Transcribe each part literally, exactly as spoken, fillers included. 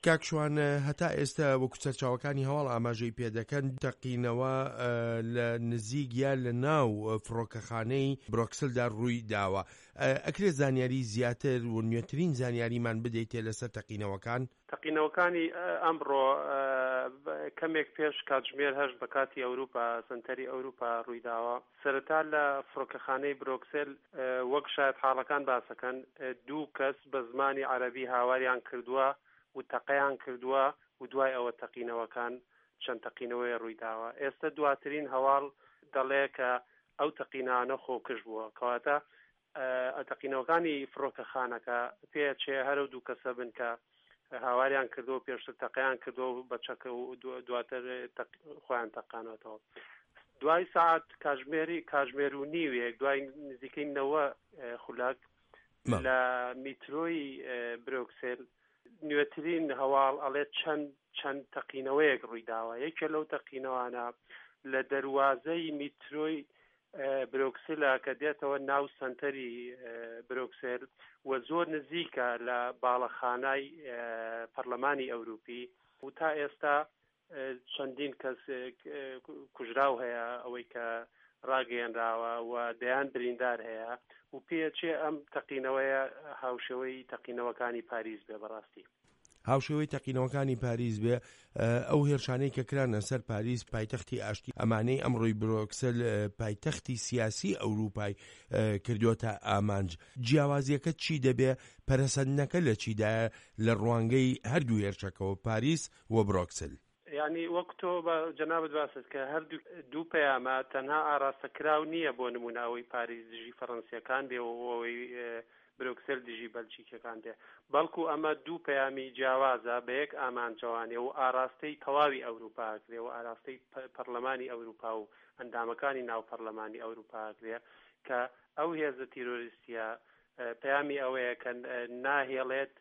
کاک شوان، هەتا ئێستا وەکو سەرچاوەکانی هەواڵ ئاماژەی پێدەکەن، تەقینەوە لە نزیک یا لە ناو فڕۆکەخانەی برۆکسلدا ڕووی داوە. ئەکرێت زانیاری زیاتر و نوێترین زانیاریمان بدەیتێ لەسەر تەقینەوەکان؟ تەقینەوەکانی ئەمڕۆ کەمێک پێش کاتژمێر هەشت بە کاتی ئەوروپا، سنتەری ئەوروپا ڕوویداوە. سەرەتا لە فڕۆکەخانەی برۆکسل وەک شاید حاڵەکان باسەکەن، دوو کەس بە زمانی عەرەبی هاواریان کردووە و تەقەیان کردووە و دوای ئەوە تەقینەوەکان چەند تەقینەوەی ڕوویداوە. ئێستا دواترین هەواڵ دەڵێ کە ئەو تەقینانە خۆکش بووە، کەواتە تەقینەوەکانی فڕۆکەخانەکە پێچێ هەرو دوو کەسە بن کە هاواریان کردو پێشتر تەقیان کردو بە چەکە و دواتر خۆیان تەقانەوەتەوە. دوای ساعت کاژمێری کاژمێر و نیوێک، دوای نزیکەی نەوە خولەک لە میترۆی برۆکسل نوێترین هەواڵ ئەڵێ چەند چەند تەقینەوەیەک ڕوویداوە. یەکێ لەو تەقینەوانە لە دەروازەی میترۆی برۆکسلە کە دێتەوە ناو سنتەری برۆکسل و زۆر نزیکە لە باڵەخانای پەرلەمانی ئەوروپی و تا ئێستا چەندین کەس کوژراو هەیە ئەوەی کە ڕاگەیەنراوە و دەیان بریندار هەیە و پێچێ ئەم تەقینەوەیە هاوشێوەی تەقینەوەکانی پاریس بێ. بەڕاستی هاوشێوەی تەقینەوەکانی پاریس بێ. ئەو هێرشانەی کە کرانە سەر پاریس پایتەختی ئاشتی، ئەمانەی ئەمڕۆی برۆکسل پایتەختی سیاسی ئەوروپای کردووەتە ئامانج. جیاوازیەکە چی دەبێ؟ پەرەسەندنەکە لە چیدایە لە ڕوانگەی هەردوو هێرشەکەوە، پاریس و برۆکسل؟ یعنی وەک تۆ بە جەنابت باست کە هەردوو دوو پەیامە تەنها ئاراستەکراو نییە، بۆ نمونە ئەوەی پاریس دژی فەڕەنسیەکان بێ و ئەوەی برۆکسل دژی بەلجیکەکان بێ، بەڵکو ئەمە دوو پەیامی جیاوازە بە یەک ئامانجەوانێ و ئاراستەی تەواوی ئەوروپا کرێ و ئاراستەی پەرلەمانی ئەوروپا و ئەندامەکانی ناو پەرلەمانی ئەوروپا کرێ کە ئەو هێزە تیرۆریستیە پەیامی ئەوەیە کە ناهێڵێت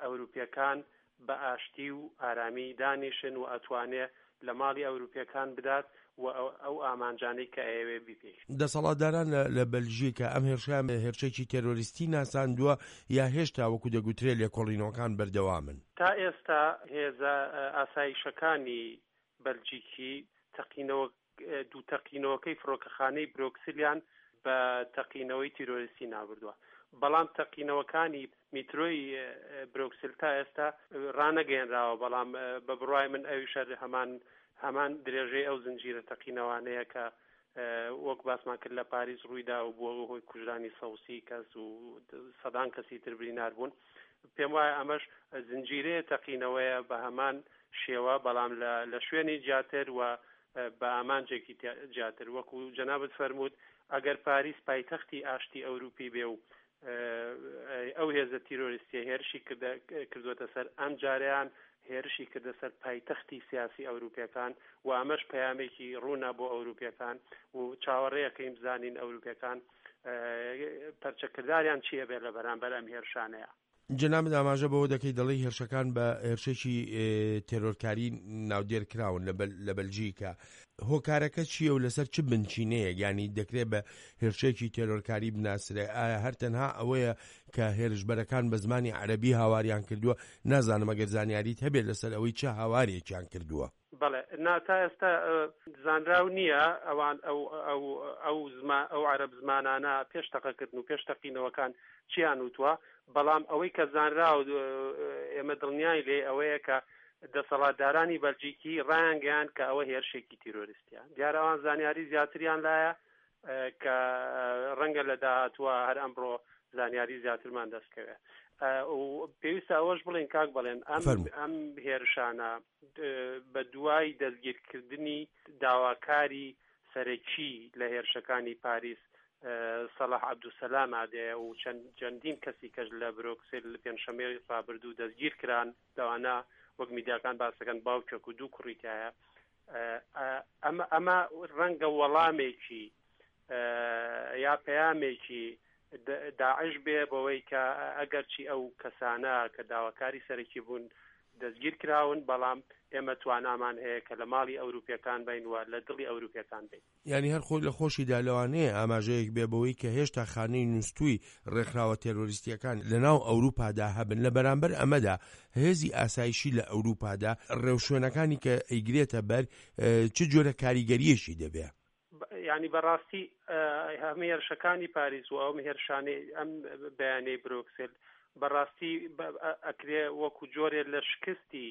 ئەوروپیەکان بە ئاشتی و ئارامی دانیشن و ئەتوانێ لە ماڵی ئەوروپیەکان بدات و ئەو ئامانجانەی کە ئەیەوێ بیپێک. دەسەڵاتداران لە بەلژیکا ئەم هێرشیان هێرشێکی تێرۆریستی ناساندووە یا هێشتا وەکو دەگوترێ لێکۆڵینەوەکان بەردەوامن؟ تا ئێستا هێزە ئاسایشەکانی بەلجیکی تەقینەوە دوو تەقینەوەکەی فڕۆکەخانەی برۆکسلیان بە تەقینەوەی تیرۆریستی نابردووە، بەڵام تەقینەوەکانی میترۆی برۆکسل تا ئێستا ڕانەگەیەنراوە. بەڵام بە بڕوای من ئەویش هەمان هەمان درێژەی ئەو زنجیرە تەقینەوانەیە کە وەک باسمان کرد لە پاریس ڕوویدا و بووە هۆی کوژرانی سەوسی کەس و سەدان کەسی تر برینار بوون. پێم وایە ئەمەش زنجیرەیە تەقینەوەیە بە هەمان شێوە، بەڵام لە شوێنی جیاتر و بە ئامانجێکی جیاتر. وەکو جەنابت فەرمووت ئەگەر پاریس پایتەختی ئاشتی ئەوروپی بێ و ئەو هێزە تیرۆریستیە هێرشی کردوەتە سەر، ئەم جاریان هێرشی کردە سەر پایتەختی سیاسی ئەوروپیەکان و ئەمەش پەیامێکی ڕوونە بۆ ئەوروپیەکان و چاوەڕێیەکەین بزانین ئەوروپیەکان پەرچەکرداریان چییە بێ لە بەرامبەر ئەم هێرشانەیە. جەنابت ئاماژە بەوە دەکەی دەڵێی هێرشەکان بە هێرشێکی تێرۆرکاری ناودێر کراون لە بەلجیکا. هۆکارەکە چییە و لەسەر چ بنچینەیەک یعنی دەکرێت بە هێرشێکی تێرۆرکاری بناسرێ؟ ئایا هەر تەنها ئەوەیە کە هێرشبەرەکان بە زمانی عەرەبی هاواریان کردووە؟ نازانم ئەگەر زانیاریت هەبێت لەسەر ئەوەی چه هاوارێکیان کردووە. بەڵێ، نا تا ئێستا زانراو نییە ئەوان ئەو ئەو ئەو زمان ئەو عەرەب زمانانە پێش تەقەکردن و پێش تەقینەوەکان چیان وتووە، بەڵام ئەوەی کە زانراو ئێمە دڵنیای لێ ئەوەیە کە دەسەڵاتدارانی بەلجیکی ڕایانگەیان کە ئەوە هێرشێکی تیرۆریستیە. دیارە ئەوان زانیاری زیاتریان لایە کە ڕەنگە لە داهاتووە هەر ئەمڕۆ زانیاری زیاترمان دەستکەوێت. پێویستە ئەوەش بڵێن کاک بڵێن ئەم ئەم هێرشانە بە دوای دەستگیرکردنی داواکاری سەرەکی لە هێرشەکانی پاریس سەلاح عەبدولسەلام ئادەیە و چەندین کەسی کەش لە برۆکسل پێنجشەممەی ڕابردوو دەستگیر کران، لەوانە وەک میدیاکان باسەکەن باوکێک و دوو کوڕی تایە. ئەمە ئەمە ڕەنگە وەڵامێکی یا پەیامێکی داعش بێ بەوەی کە ئەگەرچی ئەو کەسانە کە داواکاری سەرەکی بوون دەستگیر کراون، بەڵام ئێمە توانامان هەیە کە لە ماڵی ئەوروپیەکان بین و لە دڵی ئەوروپیەکان بین. یعنی هەر خۆی لە خۆشیدا لەوانەیە ئاماژەیەک بێ بەوەی کە هێشتا خانەی نووسوی ڕێکخراوە تێرۆریستیەکان لە ناو ئەوروپادا هەبن. لە بەرامبەر ئەمەدا هێزی ئاسایشی لە ئەوروپادا ڕێوشوێنەکانی کە ئەیگرێتە بەر چ جۆرە کاریگەریەکی دەبێ؟ یعنی بەڕاستی هەمە هێرشەکانی پاریس و ئەم هێرشانەی ئەم بەیانەی برۆکسل بەڕاستی ئەکرێ وەکو جۆرێ لە شکستی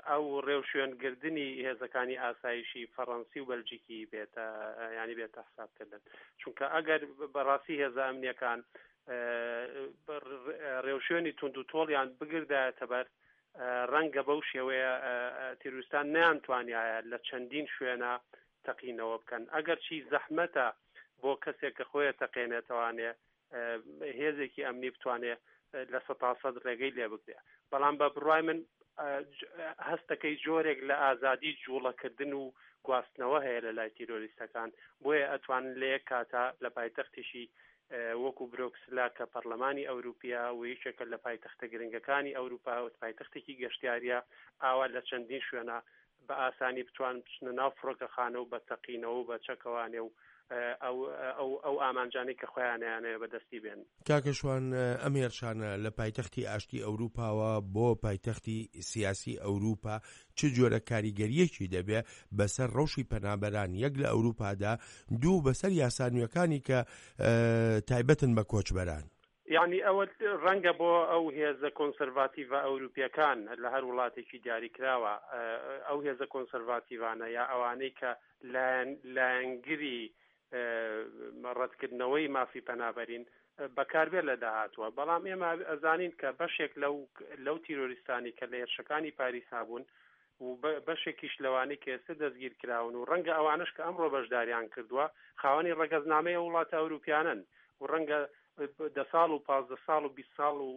ئەو ڕێوشوێنگردنی هێزەکانی ئاسایشی فەڕەنسی و بەلجیکی بێتە ینی بێتە حسابکردن. چونکە ئەگەر بەڕاستی هێزە ئەمنیەکان ڕێوشوێنی تونند و تۆڵیان بگردایەتە بەر، ڕەنگە بەو شێوەیە تیرۆریستان نەیانتوانیایە لە چەندین شوێنە تەقینەوە بکەن. ئەگەر چی زەحمەتە بۆ کەسێک کە خۆیە تەقێنێتوانێ هێزێکی ئەمنی بتوانێ لە سەتاسەد ڕێگەی لێ بگرێ، بەڵام بە بڕای من هەستەکەی جۆرێک لە ئازادی جوڵەکردن و گواستنەوە هەیە لە لای تیرۆریستەکان، بۆیە ئەتوانن لە یەک کاتا لە پایتەختیشی وەکو برۆکسلا کە پەرلەمانی ئەوروپیا و یەکێکە لە پایتەختە گرنگەکانی ئەوروپا و پایتەختێکی گەشتیاریە، ئاوا لە چەندین شوێنە بە ئاسانی بتوان بچنە ناو فڕۆکەخانە و بە تەقینەوە و بە چەکەوانێ و ئەو ئەو ئەو ئامانجانەی کە خۆیانیانەیە بەدەستی بێن. کاکە شوان، ئەم هێرشانە لە پایتەختی ئاشتی ئەوروپاوە بۆ پایتەختی سیاسی ئەوروپا چ جۆرە کاریگەریەکی دەبێ بەسەر ڕەوشی پەنابەران یەک لە ئەوروپادا، دوو بەسەر یاسا نوێەکانی کە تایبەتن بە کۆچبەران؟ یعنی ئەوە ڕەنگە بۆ ئەو هێزە کۆنسەرڤاتیڤە ئەوروپیەکان لە هەر وڵاتێکی دیاریکراوە، ئەو هێزە کۆنسەرڤاتیڤانە یا ئەوانەی کە لایەنگری ڕەتکردنەوەی مافی پەنابەرین بەکاربێت لە داهاتووە. بەڵام ئێمە ئەزانین کە بەشێک لەو لەو تیرۆریستانی کە لە هێرشەکانی پاریسا بوون و بەشێکیش لەوانەی کە ئێستا دەستگیر کراون و ڕەنگە ئەوانش کە ئەمڕۆ بەشداریان کردووە خاوەنی ڕەگەزنامەی وڵاتە ئەوروپیانن و ڕەنگە دە ساڵ و پازدە ساڵ و بیست ساڵ و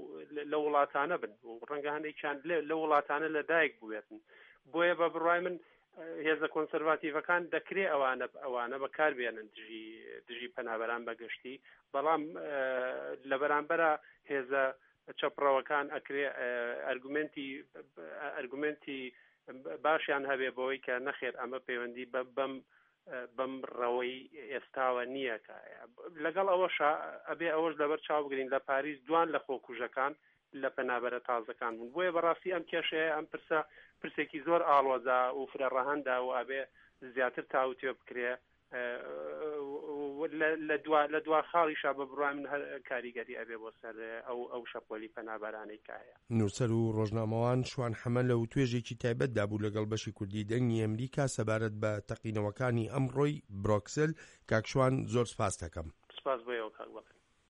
لە وڵاتانە بن و ڕەنگە هەندێکیان لە وڵاتانە لەدایک بووێتن. بۆیە بە بڕای من هێزە کۆنسەرڤاتیڤەکان دەکرێ ئەوانە ئەوانە بەکاربێنن دژی دژی پەنابەران بەگشتی، بەڵام لە بەرامبەرە هێزە چەپڕەوەکان ئەکرێ ئەرگومنتی ئەرگومنتی باشیان هەبێ بەوەی کە نەخێر ئەمە پەیوەندی بەم بەم ڕەوەی ئێستاوە نییە. لەگەڵ ئەوەش ئەبێ ئەوەش لەبەر چاو بگرین لە پاریس دوان لە خۆکوژەکان لە پەنابەرە تازەکان بوون. بۆیە بەڕاستی ئەم کێشەیە ئەم پرسە پرسێکی زۆر ئاڵۆزا و فرە ڕەهەندا و ئەبێ زیاتر تاوتوێ بکرێ. لە دوا خاڵیشا بە بڕای من هەر کاریگەری ئەبێ بۆ سەر ئەو ئەو شەپۆلی پەنابەرانەی کە هەیە. نووسەر و ڕۆژنامەوان شوان حەمە لە وتوێژێکی تایبەتدا بوو لەگەڵ بەشی کوردی دەنگی ئەمریکا سەبارەت بە تەقینەوەکانی ئەمڕۆی برۆکسل. کاک شوان زۆر سپاس دەکەم. سپاس بۆ ئێوە کاک بەڵێ.